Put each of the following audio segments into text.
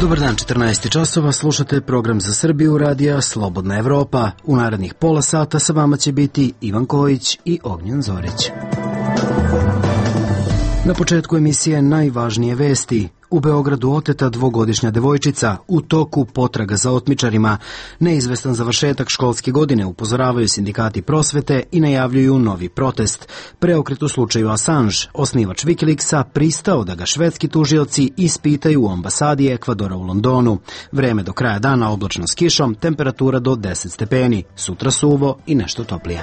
Dobar dan, 14 časova, slušate program za Srbiju radija Slobodna Evropa. U narednih pola sata sa vama će biti Ivan Kojić i Ognjen Zorić. Na početku emisije najvažnije vesti. U Beogradu oteta dvogodišnja devojčica, u toku potraga za otmičarima. Neizvestan završetak školske godine, upozoravaju sindikati prosvete i najavljuju novi protest. Preokret u slučaju Assange, osnivač Wikileaksa, pristao da ga švedski tužioci ispitaju u ambasadi Ekvadora u Londonu. Vreme do kraja dana oblačno s kišom, temperatura do 10 stepeni. Sutra suvo i nešto toplije.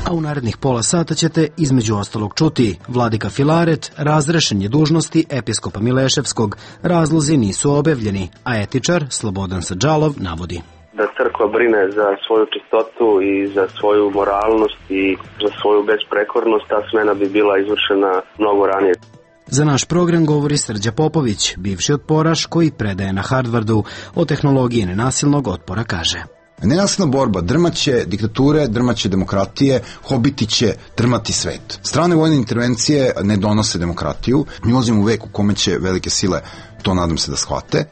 A u narednih pola sata ćete između ostalog čuti: Vladika Filaret razrešen je dužnosti episkopa Mileševskog, razlozi nisu objavljeni, a etičar Slobodan Sadžalov navodi da crkva brine za svoju čistotu i za svoju moralnost i za svoju besprekornost, ta smena bi bila izvršena mnogo ranije. Za naš program govori Srđa Popović, bivši otporaš koji predaje na Harvardu. O tehnologiji nenasilnog otpora kaže: Nenasilna borba drmaće diktature, drmaće demokratije, hobiti će drmati svet. Strane vojne intervencije ne donose demokratiju. Mi ulazimo u vek u kome će velike sile, to nadam se da shvate.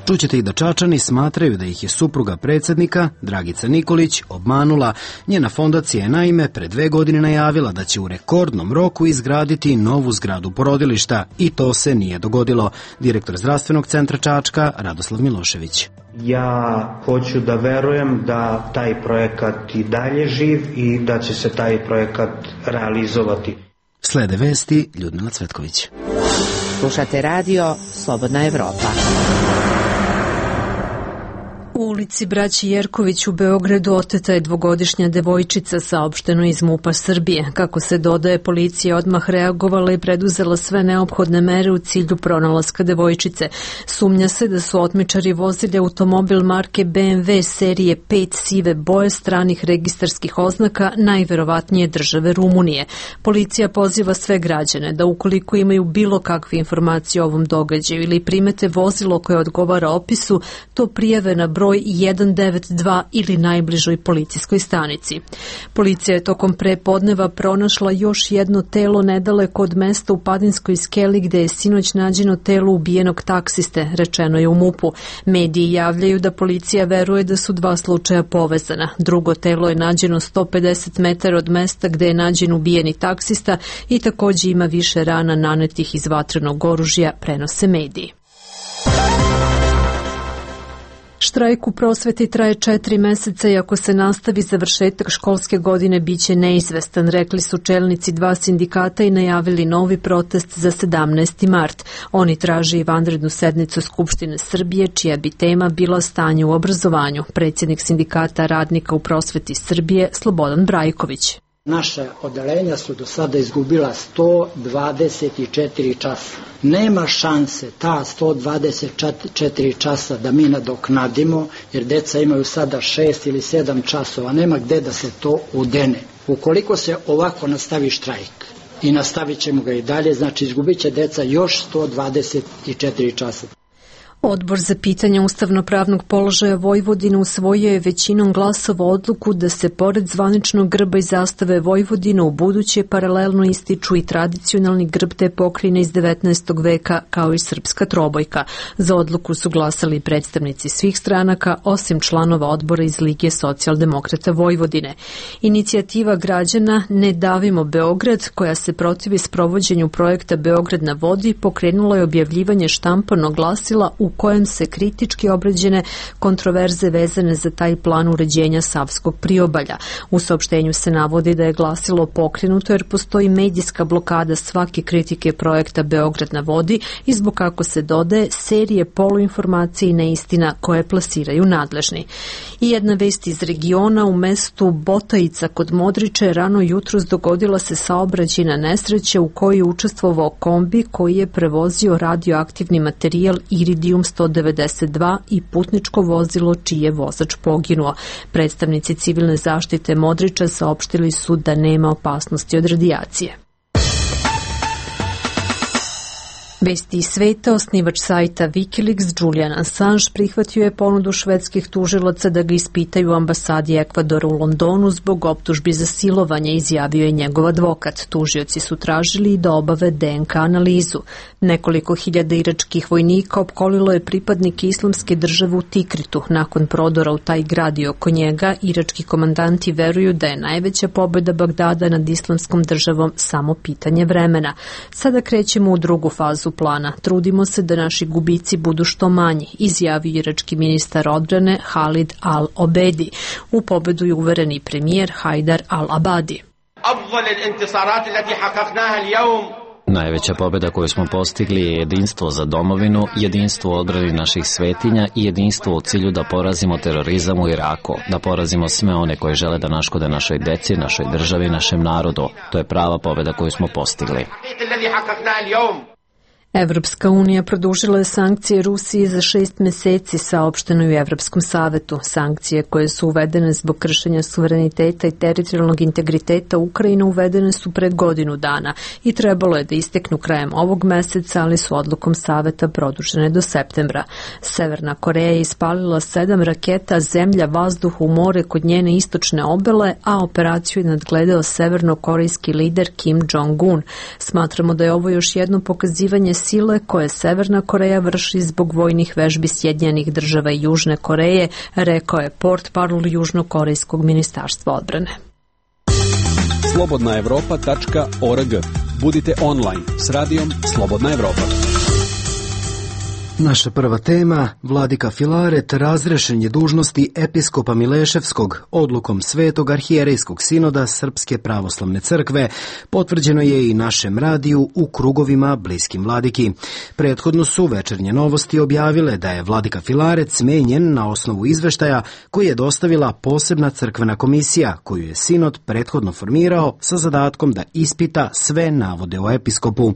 Čućete i da Čačani smatraju da ih je supruga predsjednika, Dragica Nikolić, obmanula. Njena fondacija je naime pre 2 godine najavila da će u rekordnom roku izgraditi novu zgradu porodilišta i to se nije dogodilo. Direktor zdravstvenog centra Čačka, Radoslav Milošević. Ja hoću da verujem da taj projekat i dalje živ i da će se taj projekat realizovati. Slede vesti, Ljudmila Cvetković. Slušate radio Slobodna Evropa. U ulici Braći Jerković u Beogradu oteta je dvogodišnja devojčica, saopšteno iz MUP-a Srbije. Kako se dodaje, policija odmah reagovala i preduzela sve neophodne mere u cilju pronalaska devojčice. Sumnja se da su otmičari vozili automobil marke BMW serije 5 sive boje stranih registarskih oznaka, najverovatnije države Rumunije. Policija poziva sve građane da ukoliko imaju bilo kakve informacije o ovom događaju ili primete vozilo koje odgovara opisu, to prijave na broj 192 ili najbližoj policijskoj stanici. Policija je tokom prepodneva pronašla još jedno telo nedaleko od mesta u Padinskoj skeli gde je sinoć nađeno telo ubijenog taksiste, rečeno je u MUP-u. Mediji javljaju da policija veruje da su 2 slučaja povezana. Drugo telo je nađeno 150 metara od mesta gde je nađen ubijeni taksista i takođe ima više rana nanetih iz vatrenog oružja, prenose mediji. Štrajk u prosveti traje 4 meseca i ako se nastavi, završetak školske godine biće neizvestan, rekli su čelnici 2 sindikata i najavili novi protest za 17. mart. Oni traže i vanrednu sednicu Skupštine Srbije, čija bi tema bila stanje u obrazovanju. Predsjednik sindikata radnika u prosveti Srbije, Slobodan Brajković. Naša odeljenja su do sada izgubila 124 časa. Nema šanse ta 124 časa da mi nadoknadimo, jer deca imaju sada 6 ili 7 časova. Nema gde da se to udene. Ukoliko se ovako nastavi štrajk i nastavit ćemo ga i dalje, znači izgubit će deca još 124 časa. Odbor za pitanje ustavno-pravnog položaja Vojvodine usvojio je većinom glasova odluku da se pored zvaničnog grba i zastave Vojvodine u buduće paralelno ističu i tradicionalni grb te pokrajine iz 19. veka kao i srpska trobojka. Za odluku su glasali predstavnici svih stranaka osim članova odbora iz Lige socijaldemokrata Vojvodine. Inicijativa građana Ne davimo Beograd, koja se protivi sprovođenju projekta Beograd na vodi, pokrenula je objavljivanje štampanog glasila u kojem se kritički obrađene kontroverze vezane za taj plan uređenja Savskog priobalja. U saopštenju se navodi da je glasilo pokrenuto jer postoji medijska blokada svake kritike projekta Beograd na vodi i zbog, kako se dodaje, serije poluinformacije i neistina koje plasiraju nadležni. I jedna vest iz regiona: u mestu Botajica kod Modriče rano jutros dogodila se saobraćajna nesreća u kojoj je učestvovao kombi koji je prevozio radioaktivni materijal iridijum 192 i putničko vozilo čiji je vozač poginuo. Predstavnici civilne zaštite Modriča saopštili su da nema opasnosti od radijacije. Vesti iz sveta, osnivač sajta Wikileaks Julian Assange prihvatio je ponudu švedskih tužilaca da ga ispitaju u ambasadi Ekvadora u Londonu zbog optužbi za silovanje, izjavio je njegov advokat. Tužioci su tražili da obave DNK analizu. Nekoliko hiljada iračkih vojnika opkolilo je pripadnike Islamske države u Tikritu. Nakon prodora u taj grad i oko njega, irački komandanti veruju da je najveća pobjeda Bagdada nad Islamskom državom samo pitanje vremena. Sada krećemo u drugu fazu plana. Trudimo se da naši gubici budu što manji, izjavio irački ministar odbrane Halid al-Obedi. U pobedu je uvereni premijer Hajdar al-Abadi. Najveća pobjeda koju smo postigli je jedinstvo za domovinu, jedinstvo u odbrani naših svetinja i jedinstvo u cilju da porazimo terorizam u Iraku, da porazimo sve one koji žele da naškode našoj deci, našoj državi, našem narodu. To je prava pobjeda koju smo postigli. Evropska unija produžila je sankcije Rusiji za 6 meseci, saopšteno u Evropskom savetu. Sankcije koje su uvedene zbog kršenja suvereniteta i teritorijalnog integriteta Ukrajine uvedene su pred godinu dana i trebalo je da isteknu krajem ovog meseca, ali su odlukom saveta produžene do septembra. Severna Koreja je ispalila 7 raketa zemlja, vazduh u more kod njene istočne obale, a operaciju je nadgledao severnokorejski lider Kim Jong-un. Smatramo da je ovo još jedno pokazivanje sile koje Severna Koreja vrši zbog vojnih vežbi Sjedinjenih država i Južne Koreje, rekao je portparol Južnokorejskog ministarstva odbrane. slobodnaevropa.org. Budite online s radijom Slobodna Evropa. Naša prva tema, vladika Filaret razrešen je dužnosti episkopa Mileševskog odlukom Svetog arhijerejskog sinoda Srpske pravoslavne crkve, potvrđeno je i našem radiju u krugovima bliskim vladiki. Prethodno su Večernje novosti objavile da je vladika Filaret smenjen na osnovu izveštaja koji je dostavila posebna crkvena komisija, koju je sinod prethodno formirao sa zadatkom da ispita sve navode o episkopu.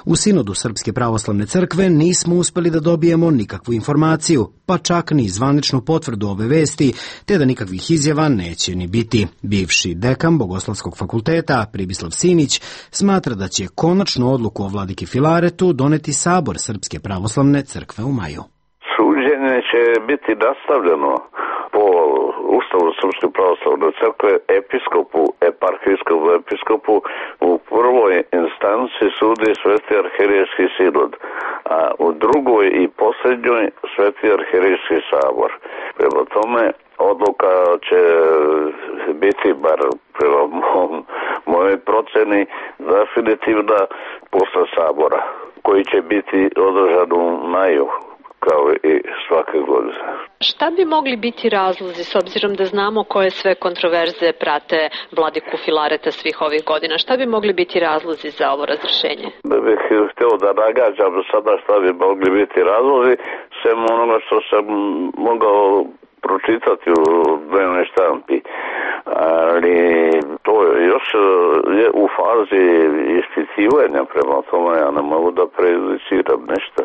U sinodu Srpske pravoslavne crkve nismo uspeli da dobijemo nikakvu informaciju, pa čak ni zvaničnu potvrdu ove vesti, te da nikakvih izjava neće ni biti. Bivši dekan Bogoslovskog fakulteta Pribislav Simić smatra da će konačnu odluku o vladiki Filaretu doneti Sabor Srpske pravoslavne crkve u maju. Suđenje će biti nastavljeno po Ustavu Srpske pravoslavne crkve eparhijskom episkopu u prvoj instanci sudi Sveti arhijerejski sinod, a u drugoj i posljednjoj Sveti arhijerejski sabor. Prema tome, odluka će biti, bar prema mojoj proceni, definitivna posle sabora, koji će biti održan u maju, kao i svake godine. Šta bi mogli biti razlozi, s obzirom da znamo koje sve kontroverze prate vladiku Filareta svih ovih godina? Šta bi mogli biti razlozi za ovo razrešenje? Bih htio da nagađam sada šta bi mogli biti razlozi, sem onoga što sam mogao pročitati u dnevnoj štampi. Ali to još je u fazi ispitivanja, prema tome ja ne mogu da prejudiciram nešto.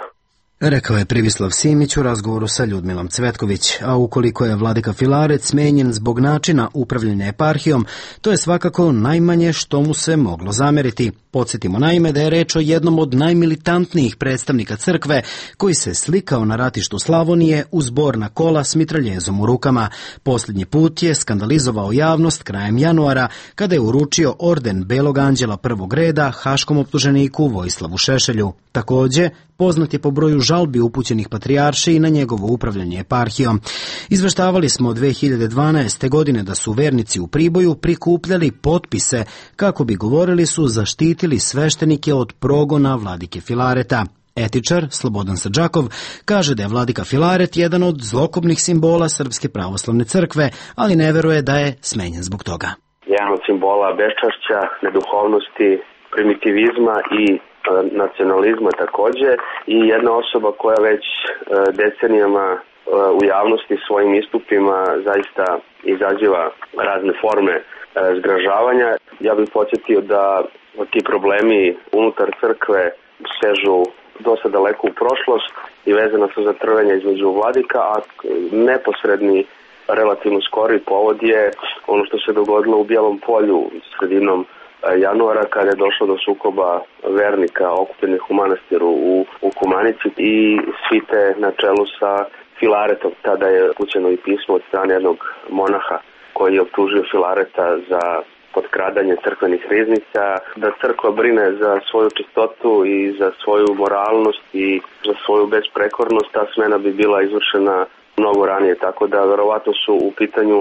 Rekao je Pribislav Simić u razgovoru sa Ljudmilom Cvetković, a ukoliko je vladika Filaret smenjen zbog načina upravljanja eparhijom, to je svakako najmanje što mu se moglo zameriti. Podsjetimo naime da je reč o jednom od najmilitantnijih predstavnika crkve koji se slikao na ratištu Slavonije uz borna kola s mitraljezom u rukama. Posljednji put je skandalizovao javnost krajem januara kada je uručio orden Belog anđela prvog reda haškom optuženiku Vojislavu Šešelju. Također, poznat je po broju žalbi upućenih patrijarši i na njegovo upravljanje eparhijom. Izveštavali smo od 2012. godine da su vernici u Priboju prikupljali potpise kako bi, govorili su, zaštitili sveštenike od progona vladike Filareta. Etičar Slobodan Srđakov kaže da je vladika Filaret jedan od zlokobnih simbola Srpske pravoslavne crkve, ali ne veruje da je smenjen zbog toga. Jedan od simbola beščašća, neduhovnosti, primitivizma i nacionalizma takođe, i jedna osoba koja već decenijama u javnosti svojim istupima zaista izaziva razne forme zgražavanja. Ja bih podsjetio da ti problemi unutar crkve sežu dosta daleko u prošlost i vezana su za trvenje između vladika, a neposredni, relativno skori povod je ono što se dogodilo u Bijelom Polju sredinom januara kada je došlo do sukoba vernika okupljenih u manastiru u Kumanici i svite na čelu sa Filaretom. Tada je upućeno i pismo od strane jednog monaha koji je optužio Filareta za potkradanje crkvenih riznica, da crkva brine za svoju čistotu i za svoju moralnost i za svoju besprekornost. Ta smena bi bila izvršena mnogo ranije, tako da verovatno su u pitanju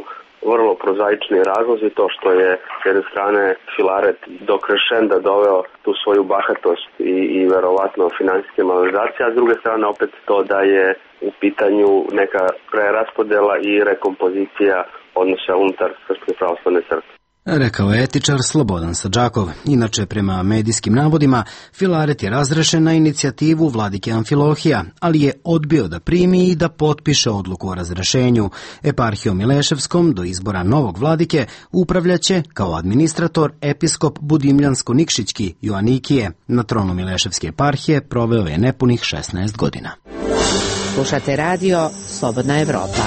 vrlo prozaični razlozi, to što je s jedne strane Filaret do krešenda doveo tu svoju bahatost i verovatno finansijske malverzacije, a s druge strane opet to da je u pitanju neka preraspodela i rekompozicija odnosa unutar Srpske pravoslavne crkve. Rekao je etičar Slobodan Sadžakov. Inače, prema medijskim navodima, Filaret je razrešen na inicijativu vladike Amfilohija, ali je odbio da primi i da potpiše odluku o razrešenju. Eparhijom Mileševskom do izbora novog vladike upravljaće kao administrator episkop Budimljansko-Nikšićki Joanikije. Na tronu Mileševske eparhije proveo je nepunih 16 godina. Slušate radio Slobodna Evropa.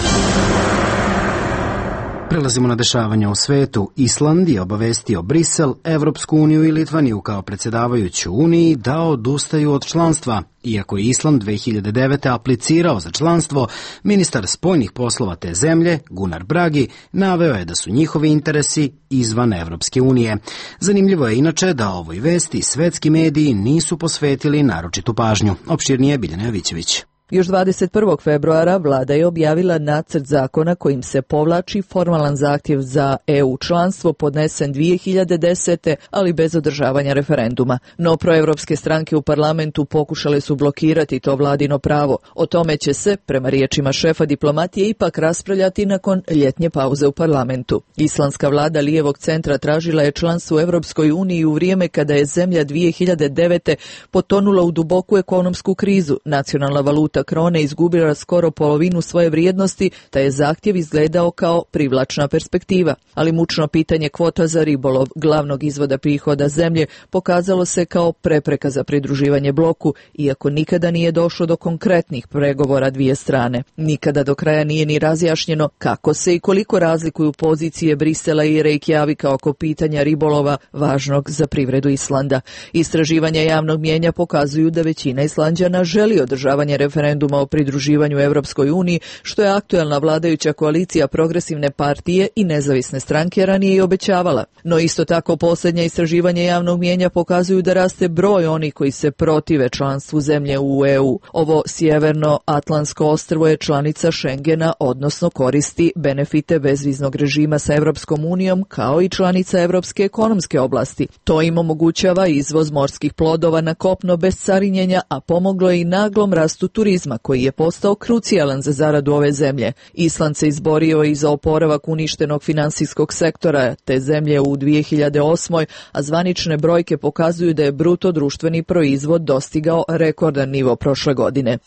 Prelazimo na dešavanja u svetu. Island je obavestio Brisel, Evropsku uniju i Litvaniju kao predsjedavajuću Uniji da odustaju od članstva. Iako je Island 2009. aplicirao za članstvo, ministar spoljnih poslova te zemlje, Gunnar Bragi, naveo je da su njihovi interesi izvan Evropske unije. Zanimljivo je inače da ovoj vesti svetski mediji nisu posvetili naročitu pažnju. Opširnije Biljana Jovićević. Još 21. februara vlada je objavila nacrt zakona kojim se povlači formalan zahtjev za EU članstvo podnesen 2010. ali bez održavanja referenduma. No proevropske stranke u parlamentu pokušale su blokirati to vladino pravo. O tome će se, prema riječima šefa diplomatije, ipak raspravljati nakon ljetnje pauze u parlamentu. Islandska vlada lijevog centra tražila je članstvo u Evropskoj uniji u vrijeme kada je zemlja 2009. potonula u duboku ekonomsku krizu. Nacionalna valuta krone izgubila skoro polovinu svoje vrijednosti, te je zahtjev izgledao kao privlačna perspektiva. Ali mučno pitanje kvota za ribolov, glavnog izvoda prihoda zemlje, pokazalo se kao prepreka za pridruživanje bloku, iako nikada nije došlo do konkretnih pregovora dvije strane. Nikada do kraja nije ni razjašnjeno kako se i koliko razlikuju pozicije Brisela i Reykjavika oko pitanja ribolova važnog za privredu Islanda. Istraživanja javnog mnijenja pokazuju da većina Islanđana želi održavanje referenduma o pridruživanju Evropskoj uniji, što je aktuelna vladajuća koalicija Progresivne partije i Nezavisne stranke ranije i obećavala. No isto tako posljednja istraživanja javnog mnijenja pokazuju da raste broj onih koji se protive članstvu zemlje u EU. Ovo sjeverno-atlantsko ostrvo je članica Schengena, odnosno koristi benefite bezviznog režima sa Evropskom unijom kao i članica Evropske ekonomske oblasti. To im omogućava izvoz morskih plodova na kopno bez carinjenja, a pomoglo je i naglom rastu turizma koji je postao krucijalan za zaradu ove zemlje. Island se izborio i za oporavak uništenog finansijskog sektora te zemlje u 2008. a zvanične brojke pokazuju da je bruto društveni proizvod dostigao rekordan nivo prošle godine.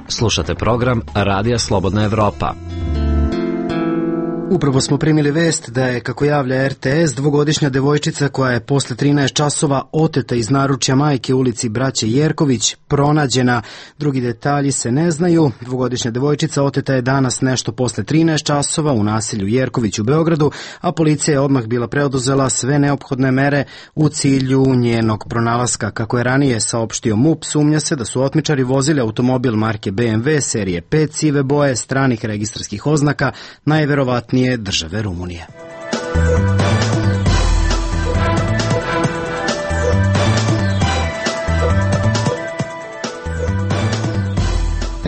Slušate program Radija Slobodna Evropa. Upravo smo primili vest da je, kako javlja RTS, dvogodišnja devojčica koja je posle 13 časova oteta iz naručja majke u ulici Braće Jerković pronađena. Drugi detalji se ne znaju. Dvogodišnja devojčica oteta je danas nešto posle 13 časova u naselju Jerković u Beogradu, a policija je odmah bila preoduzela sve neophodne mere u cilju njenog pronalaska. Kako je ranije saopštio MUP, sumnja se da su otmičari vozili automobil marke BMW serije 5 sive boje stranih registarskih oznaka, najverovatnije države Rumunije.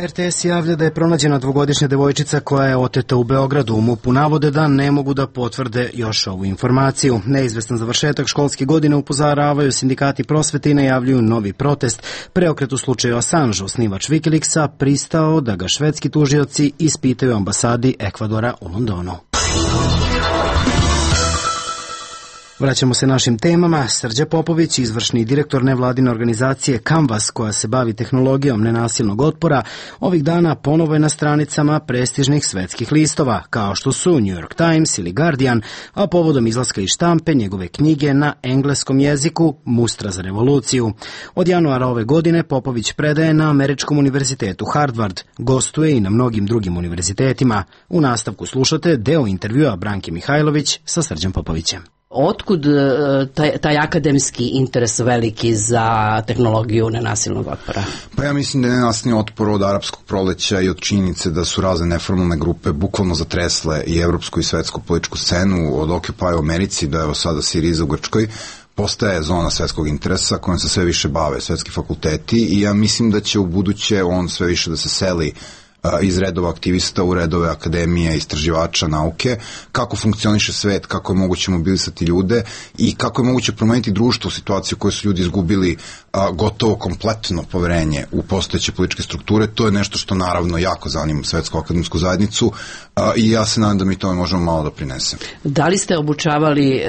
RTS javlja da je pronađena dvogodišnja devojčica koja je oteta u Beogradu. U MUP-u navode da ne mogu da potvrde još ovu informaciju. Neizvestan završetak školske godine upozoravaju sindikati prosvete i najavljuju novi protest. Preokret u slučaju Assange, osnivač Wikileaksa, pristao da ga švedski tužioci ispitaju u ambasadi Ekvadora u Londonu. Vraćamo se našim temama. Srđa Popović, izvršni direktor nevladine organizacije Canvas, koja se bavi tehnologijom nenasilnog otpora, ovih dana ponovo je na stranicama prestižnih svetskih listova, kao što su New York Times ili Guardian, a povodom izlaska iz štampe njegove knjige na engleskom jeziku Mustra za revoluciju. Od januara ove godine Popović predaje na Američkom univerzitetu Harvard, gostuje i na mnogim drugim univerzitetima. U nastavku slušate deo intervjua Branke Mihajlović sa Srđom Popovićem. Otkud taj akademski interes veliki za tehnologiju nenasilnog otpora? Pa ja mislim da je nenasilni otpor od arapskog proleća i od činjenice da su razne neformalne grupe bukvalno zatresle i evropsku i svetsku političku scenu, od Occupy u Americi do evo sada Siriza u Grčkoj, postaje zona svetskog interesa kojom se sve više bave svetski fakulteti i ja mislim da će u buduće on sve više da se seli iz redova aktivista u redove akademije, istraživača, nauke, kako funkcioniše svet, kako je moguće mobilisati ljude i kako je moguće promeniti društvo u situaciju u kojoj su ljudi izgubili gotovo kompletno poverenje u postojeće političke strukture. To je nešto što naravno jako zanima svetsku akademsku zajednicu i ja se nadam da mi tome možemo malo da prinesemo. Da li ste obučavali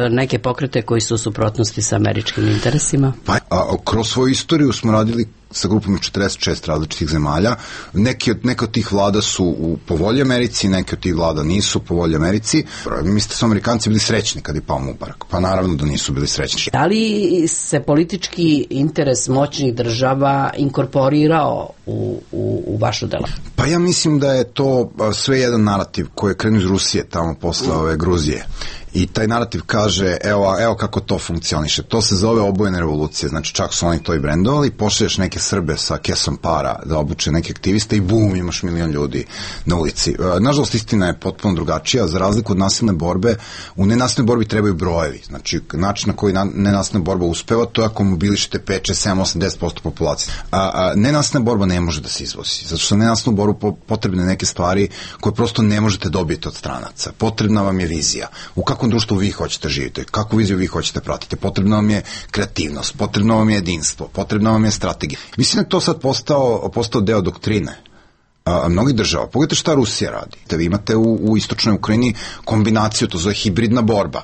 neke pokrete koji su u suprotnosti sa američkim interesima? Pa, kroz svoju istoriju smo radili sa grupom 46 različitih zemalja. Neke od tih vlada su po volji Americi, neke od tih vlada nisu po volji Americi. Mislite da su Amerikanci bili srećni kad je pao Mubarak? Pa naravno da nisu bili srećni. Da li se politički interes moćnih država inkorporirao u vašu delo? Pa ja mislim da je to sve jedan narativ koji je krenuo iz Rusije, tamo posle ove Gruzije. I taj narativ kaže, evo kako to funkcioniše. To se zove obojene revolucije, znači čak su oni to i brendovali, pošalješ neke Srbe sa kesom para da obuče neke aktiviste i bum, imaš 1 milion ljudi na ulici. Nažalost, istina je potpuno drugačija, za razliku od nasilne borbe, u nenasilnoj borbi trebaju brojevi, znači način na koji nenasilna borba uspeva, to je ako mobilišete 5, 6, 7, 8, 10% populacije. Nenasilna borba ne može da se izvozi, zato što nenasilnu borbu potrebne neke stvari koje prosto ne možete dobiti od stranaca. Potrebna vam je vizija. U kakvom društvu vi hoćete živjeti, kakvu viziju vi hoćete pratiti. Potrebna vam je kreativnost, potrebno vam je jedinstvo, potrebna vam je strategija. Mislim da je to sad postao deo doktrine mnogih država. Pogledajte šta Rusija radi. Da vi imate u istočnoj Ukrajini kombinaciju, to zove hibridna borba.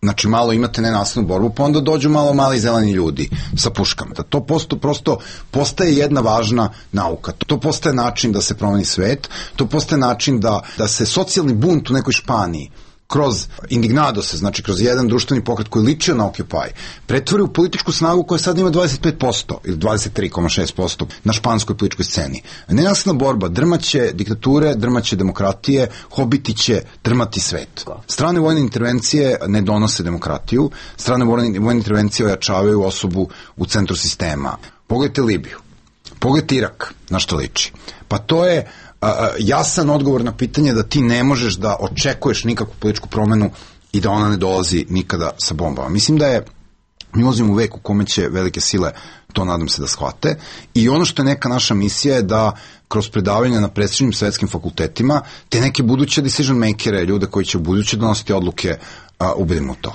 Znači malo imate nenasilnu borbu, pa onda dođu mali zeleni ljudi sa puškama. Da to prosto postaje jedna važna nauka. To postaje način da se promeni svet, to postaje način da se socijalni bunt u nekoj Španiji kroz indignadose, znači kroz jedan društveni pokret koji ličio na Occupy, pretvori u političku snagu koja sad ima 25% ili 23,6% na španskoj političkoj sceni. Nenasilna borba drmaće diktature, drmaće demokratije, hobiti će drmati svet. Strane vojne intervencije ne donose demokratiju, strane vojne intervencije ojačavaju osobu u centru sistema. Pogledajte Libiju, pogledajte Irak, na što liči. Pa to je jasan odgovor na pitanje da ti ne možeš da očekuješ nikakvu političku promenu i da ona ne dolazi nikada sa bombama. Mislim da mi ulazimo u vek u kome će velike sile, to nadam se da shvate, i ono što je neka naša misija je da kroz predavanja na prestižnim svetskim fakultetima te neke buduće decision makere, ljude koji će u buduće donositi odluke, ubedimo u to.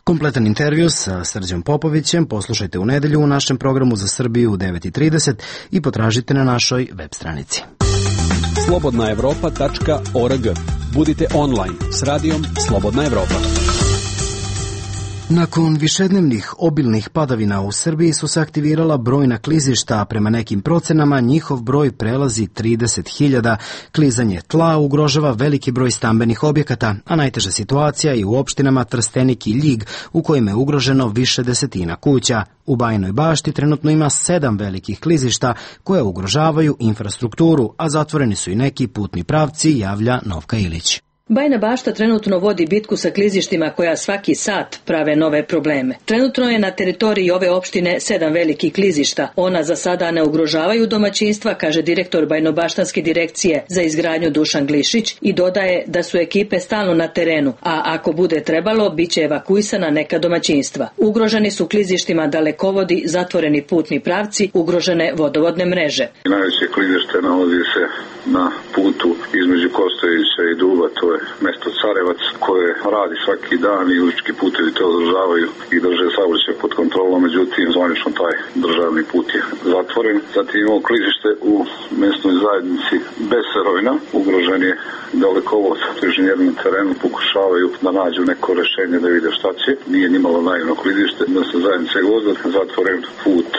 Kompletan intervju sa Srđom Popovićem poslušajte u nedelju u našem programu za Srbiju u 9:30 i potražite na našoj web stranici. slobodnaevropa.org. Budite online s radijom Slobodna Evropa. Nakon višednevnih obilnih padavina u Srbiji su se aktivirala brojna klizišta, a prema nekim procenama njihov broj prelazi 30.000. Klizanje tla ugrožava veliki broj stambenih objekata, a najteža situacija je u opštinama Trstenik i Ljig, u kojima je ugroženo više desetina kuća. U Bajinoj Bašti trenutno ima 7 velikih klizišta koje ugrožavaju infrastrukturu, a zatvoreni su i neki putni pravci, javlja Novka Ilić. Bajina Bašta trenutno vodi bitku sa klizištima koja svaki sat prave nove probleme. Trenutno je na teritoriji ove opštine 7 velikih klizišta. Ona za sada ne ugrožavaju domaćinstva, kaže direktor Bajinobaštanske direkcije za izgradnju Dušan Glišić i dodaje da su ekipe stalno na terenu, a ako bude trebalo, bit će evakuisana neka domaćinstva. Ugroženi su klizištima dalekovodi, zatvoreni putni pravci, ugrožene vodovodne mreže. Najveće klizište nalazi se na putu između Kostovića i Duba, to je je mesto Carevac koje radi svaki dan i ulički putevi to održavaju i drže saobraćaj pod kontrolom, međutim zvanično taj državni put je zatvoren. Zatim imamo klizište u mesnoj zajednici Beserovina, ugrožen je dalekovod, inženjeri na terenu pokušavaju da nađu neko rešenje da vide šta će. Nije nimalo naivno klizište, mesna zajednica Gvozda, zatvoren put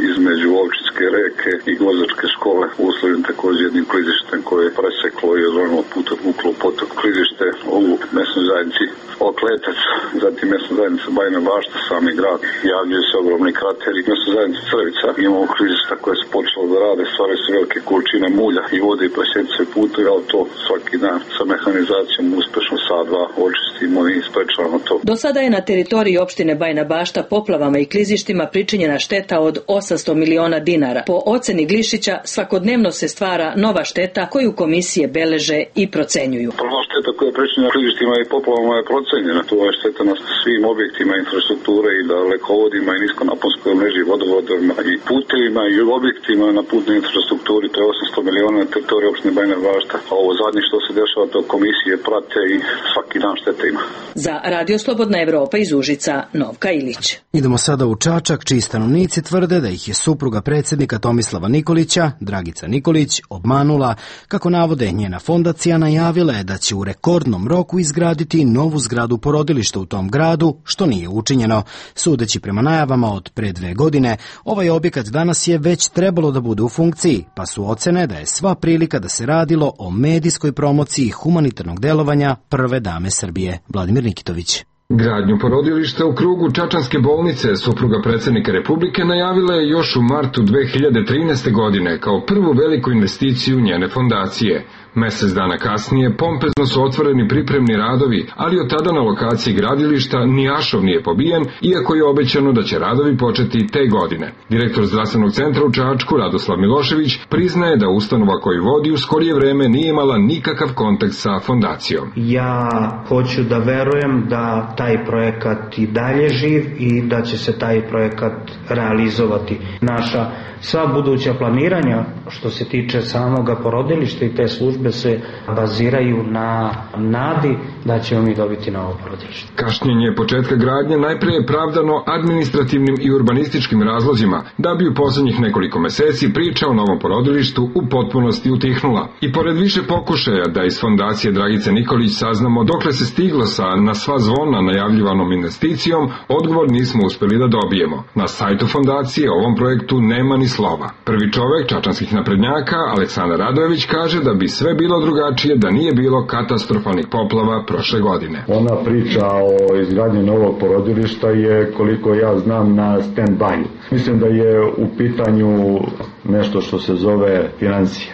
između Ovčinske reke i Gvozdačke škole, uslovljen također jednim klizištem koje je preseklo i odvrnulo put uklo potok. Klizište u mesnoj zajednici Okletac, zatim mesna zajednica Bajina Bašta, sami grad, javljaju se ogromni krateri. Mesna zajednica Crvica, imamo klizišta koje su počelo da rade, stvaraju se velike količine mulja i vode i presjeca se putovi, ali to svaki dan sa mehanizacijom uspešno sadva očistimo i sprečavamo to. Do sada je na teritoriji opštine Bajina Bašta poplavama i klizištima pričinjena šteta od 800 miliona dinara. Po oceni Glišića, svakodnevno se stvara nova šteta koju komisije beleže i procenjuju. Prva šteta koja je pričinjena klizištima i poplavama je procenjena. To je šteta na svim objektima infrastrukture i dalekovodima i niskonaponskoj mreži, vodovodima i putevima i objektima na putnoj infrastrukturi. To je 800 miliona na teritoriji opštine Bajina Bašta. A ovo zadnje što se dešava, to komisije prate i svaki dan štete ima. Za Radio Slobodna Evropa iz Užica, Novka Ilić. Idemo sada u Čačak, čiji stanovnici tvrde da ih je supruga predsjednika Tomislava Nikolića, Dragica Nikolić, obmanula. Kako navode, njena fondacija najavila je da će u rekordnom roku izgraditi novu zgradu porodilišta u tom gradu, što nije učinjeno. Sudeći prema najavama od pre 2 godine, ovaj objekat danas je već trebalo da bude u funkciji, pa su ocene da je sva prilika da se radilo o medijskoj promociji humanitarnog delovanja prve dame Srbije. Vladimir Nikitović. Gradnju porodilišta u krugu Čačanske bolnice supruga predsjednika Republike najavila je još u martu 2013. godine kao prvu veliku investiciju njene fondacije. Mesec dana kasnije pompezno su otvoreni pripremni radovi, ali od tada na lokaciji gradilišta ni ašov nije pobijen, iako je obećano da će radovi početi te godine. Direktor zdravstvenog centra u Čačku, Radoslav Milošević, priznaje da ustanova koju vodi u skorije vreme nije imala nikakav kontakt sa fondacijom. Ja hoću da verujem da taj projekat i dalje živ i da će se taj projekat realizovati. Naša sva buduća planiranja što se tiče samoga porodilišta i te službe se baziraju na nadi da ćemo mi dobiti novo porodilište. Kašnjenje početka gradnje najprije je pravdano administrativnim i urbanističkim razlozima, da bi u poslednjih nekoliko meseci priča o novom porodilištu u potpunosti utihnula. I pored više pokušaja da iz fondacije Dragice Nikolić saznamo dokle se stiglo sa na sva zvona najavljivanom investicijom, odgovor nismo uspeli da dobijemo. Na sajtu fondacije o ovom projektu nema ni slova. Prvi čovek čačanskih naprednjaka, Aleksandar Radojević, kaže da bi sve bilo drugačije da nije bilo katastrofalnih poplava prošle godine. Ona priča o izgradnji novog porodilišta je, koliko ja znam, na stand-by. Mislim da je u pitanju nešto što se zove financije,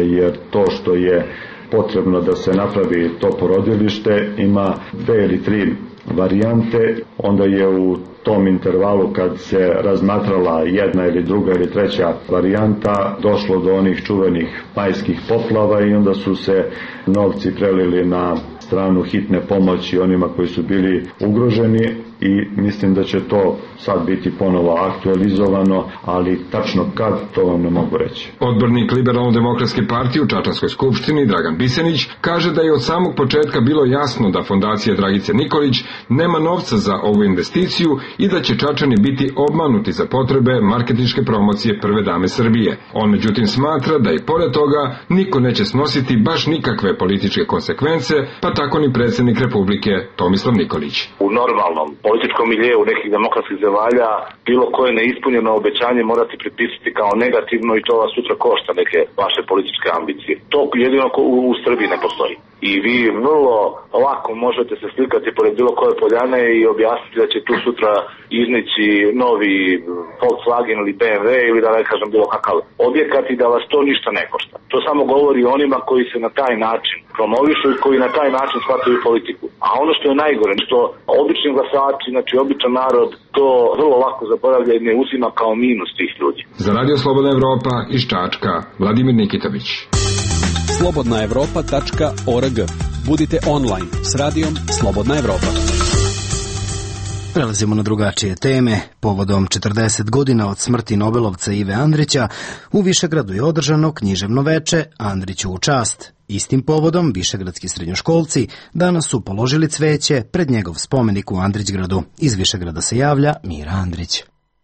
jer to što je potrebno da se napravi to porodilište ima 2 ili 3 varijante, onda je u tom intervalu kad se razmatrala jedna ili druga ili treća varijanta došlo do onih čuvenih majskih poplava i onda su se novci prelili na stranu hitne pomoći onima koji su bili ugroženi i mislim da će to sad biti ponovo aktualizovano, ali tačno kad, to vam ne mogu reći. Odbornik Liberalno-demokratske partije u Čačanskoj skupštini Dragan Bisenić kaže da je od samog početka bilo jasno da fondacija Dragice Nikolić nema novca za ovu investiciju i da će Čačani biti obmanuti za potrebe marketinške promocije prve dame Srbije. On međutim smatra da i pored toga niko neće snositi baš nikakve političke konsekvence, pa tako ni predsjednik Republike Tomislav Nikolić. U normalnom političkom miljeu nekih demokratskih zemalja bilo koje neispunjeno obećanje morate pripisati kao negativno i to vas sutra košta neke vaše političke ambicije. To jedino u Srbiji ne postoji. I vi vrlo lako možete se slikati pored bilo koje poljane i objasniti da će tu sutra iznići novi Volkswagen ili BMW ili da ne kažem bilo kakav objekat i da vas to ništa ne košta. To samo govori onima koji se na taj način promovišu i koji na taj način shvataju politiku. A ono što je najgore, što obični glasači, znači običan narod, to vrlo lako zaboravlja i ne uzima kao minus tih ljudi. Za Radio Slobodna Evropa iz Čačka, Vladimir Nikitović. slobodnaevropa.org. Budite online s radijom Slobodna Evropa. Prelazimo na drugačije teme. Povodom 40 godina od smrti Nobelovca Ive Andrića, u Višegradu je održano književno veče Andriću u čast. Istim povodom višegradski srednjoškolci danas su položili cveće pred njegov spomenik u Andrićgradu. Iz Višegrada se javlja Mira Andrić.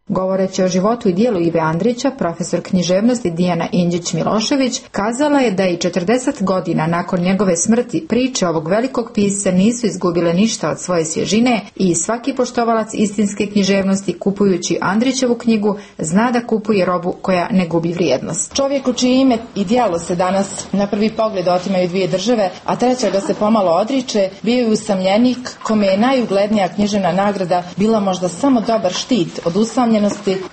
Govoreći o životu i dijelu Ive Andrića, profesor književnosti Dijana Inđić-Milošević kazala je da i 40 godina nakon njegove smrti priče ovog velikog pisca nisu izgubile ništa od svoje svježine i svaki poštovalac istinske književnosti kupujući Andrićevu knjigu zna da kupuje robu koja ne gubi vrijednost. Čovjek u čije ime i djelo se danas na prvi pogled otimaju dvije države, a treća ga se pomalo odriče, bio je usamljenik kome je najuglednija književna nagrada bila možda samo dobar štit od usamljenosti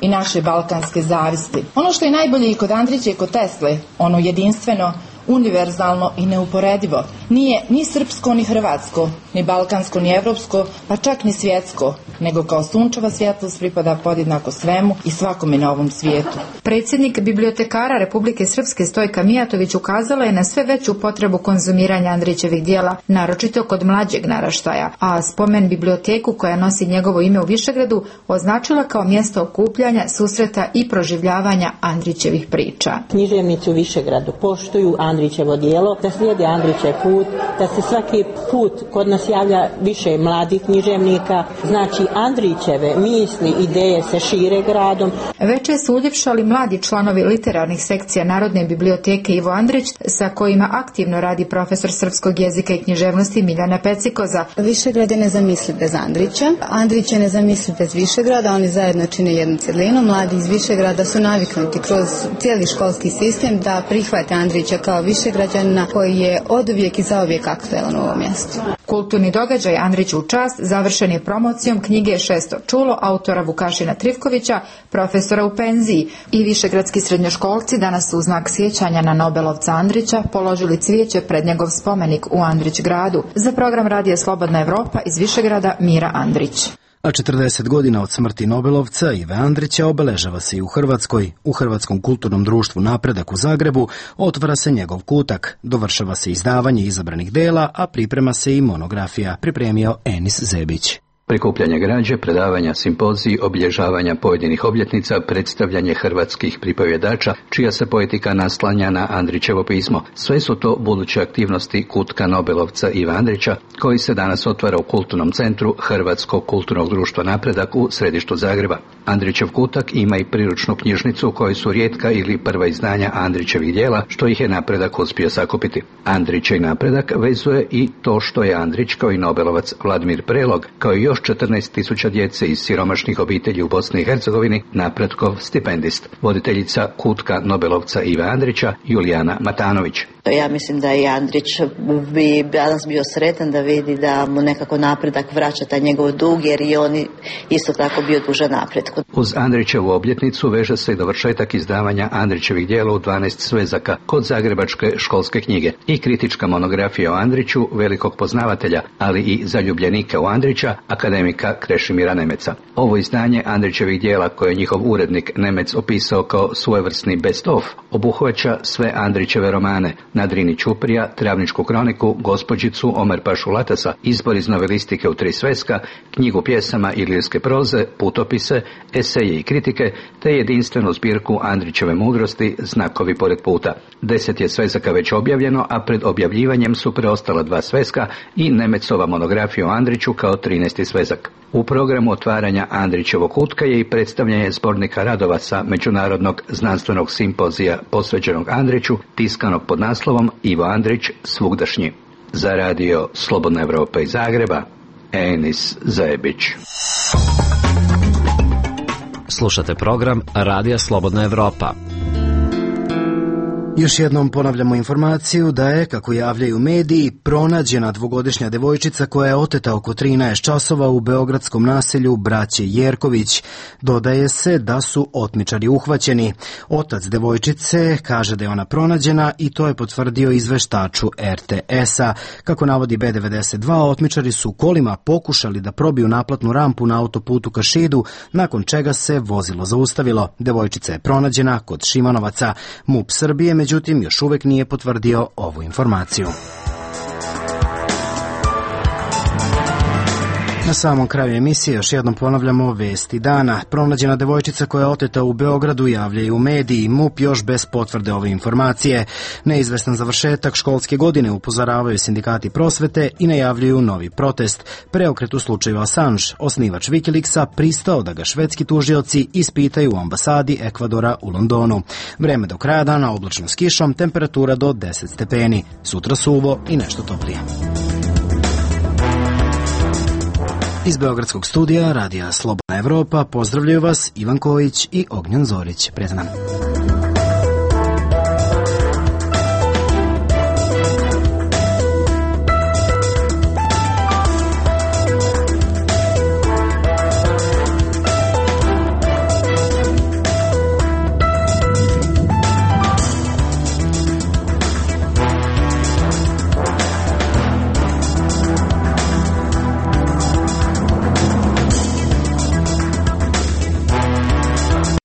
i naše balkanske zavisti. Ono što je najbolje i kod Andrića i kod Tesle, ono jedinstveno, univerzalno i neuporedivo, nije ni srpsko ni hrvatsko, ni balkansko ni evropsko, pa čak ni svjetsko, nego kao sunčeva svjetlost pripada podjednako svemu i svakome na ovom svijetu. Predsjednik bibliotekara Republike Srpske Stojka Mijatović ukazala je na sve veću potrebu konzumiranja Andrićevih dijela, naročito kod mlađeg naraštaja, a spomen biblioteku koja nosi njegovo ime u Višegradu označila kao mjesto okupljanja, susreta i proživljavanja Andrićevih priča. Književnici u Višegradu poštuju Andrićevo dijelo, da slijede Andrićev put, da se svaki put kod nas javlja više mladih književnika, znači Andrićeve misli, ideje se šire gradom. Veče su uljepšali mladi članovi literarnih sekcija Narodne biblioteke Ivo Andrić, sa kojima aktivno radi profesor srpskog jezika i književnosti Miljana Pecikoza. Višegrad je nezamisliv bez Andrića, Andrić je nezamisliv bez Višegrada, oni zajedno čine jednu cjelinu. Mladi iz Višegrada su naviknuti kroz cijeli školski sistem da prihvate Andrića kao Višegrađanina koji je oduvijek i zauvijek aktualan u ovom mjestu. Kulturni događaj Andriću u čast završen je promocijom knjige Šesto čulo autora Vukašina Trifkovića, profesora u penziji, i višegradski srednjoškolci danas su u znak sjećanja na Nobelovca Andrića položili cvijeće pred njegov spomenik u Andrićgradu. Za program Radija Slobodna Evropa iz Višegrada Mira Andrić. A 40 godina od smrti Nobelovca Ive Andrića obeležava se i u Hrvatskoj. U Hrvatskom kulturnom društvu Napredak u Zagrebu otvara se njegov kutak, dovršava se izdavanje izabranih dela, a priprema se i monografija, pripremio Enis Zebić. Prikupljanje građe, predavanja, simpoziji, obilježavanja pojedinih obljetnica, predstavljanje hrvatskih pripovjedača, čija se poetika naslanja na Andrićevo pismo. Sve su to buduće aktivnosti kutka Nobelovca Iva Andrića, koji se danas otvara u kulturnom centru Hrvatskog kulturnog društva Napredak u središtu Zagreba. Andrićev kutak ima i priručnu knjižnicu u kojoj su rijetka ili prva izdanja Andrićevih djela, što ih je Napredak uspio sakupiti. Andrića i Napredak vezuje i to što je Andrić kao i Nobelovac Vladimir Prelog, kao i još 14.000 djece iz siromašnih obitelji u Bosni i Hercegovini, Napredkov stipendist. Voditeljica kutka Nobelovca Ive Andrića, Julijana Matanović. Ja mislim da i Andrić bi danas bio sretan da vidi da mu nekako Napredak vraća taj njegov dug, jer i on isto tako bio dužan napretku. Uz Andrićevu obljetnicu veže se i dovršetak izdavanja Andrićevih djela u 12 svezaka kod Zagrebačke školske knjige i kritička monografija o Andriću, velikog poznavatelja, ali i zaljubljenika u Andrića, akademika Krešimira Nemeca. Ovo izdanje Andrićevih djela, koje je njihov urednik Nemec opisao kao svojevrsni best of, obuhvaća sve Andrićeve romane: Na Drini Ćuprija, Travničku kroniku, Gospođicu, Omer Pašu Latasa, izbor iz novelistike u 3 sveska, knjigu pjesama i lirske proze, putopise, eseje i kritike, te jedinstvenu zbirku Andrićeve mudrosti, Znakovi pored puta. 10 je svezaka već objavljeno, a pred objavljivanjem su preostala 2 sveska i Nemecova monografija o Andriću kao 13. svezak. U programu otvaranja Andrićevog kutka je i predstavljanje zbornika radova sa Međunarodnog znanstvenog simpozija posvećenog Andriću, tiskanog pod naslovom Ivo Andrić svugdašnji. Za radio Slobodna Evropa iz Zagreba, Enis Zebić. Slušate program Radija Slobodna Evropa. Još jednom ponavljamo informaciju da je, kako javljaju mediji, pronađena dvogodišnja devojčica koja je oteta oko 13 časova u beogradskom naselju Braće Jerković. Dodaje se da su otmičari uhvaćeni. Otac devojčice kaže da je ona pronađena i to je potvrdio izveštaču RTS-a. Kako navodi B92, otmičari su kolima pokušali da probiju naplatnu rampu na autoputu ka Šidu, nakon čega se vozilo zaustavilo. Devojčica je pronađena kod Šimanovaca. MUP Srbije međutim još uvek nije potvrdio ovu informaciju. Na Na samom kraju emisije još jednom ponavljamo vesti dana. Pronađena devojčica koja je oteta u Beogradu, javljaju mediji. MUP još bez potvrde ove informacije. Neizvestan završetak školske godine, upozoravaju sindikati prosvete i najavljuju novi protest. Preokret u slučaju Assange. Osnivač Wikileaksa pristao da ga švedski tužioci ispitaju u ambasadi Ekvadora u Londonu. Vreme do kraja dana oblačno s kišom, temperatura do 10 stepeni. Sutra suvo i nešto toplije. Iz Beogradskog studija Radija Slobodna Evropa pozdravljaju vas Ivan Kojić i Ognjen Zorić. Prijatno nam.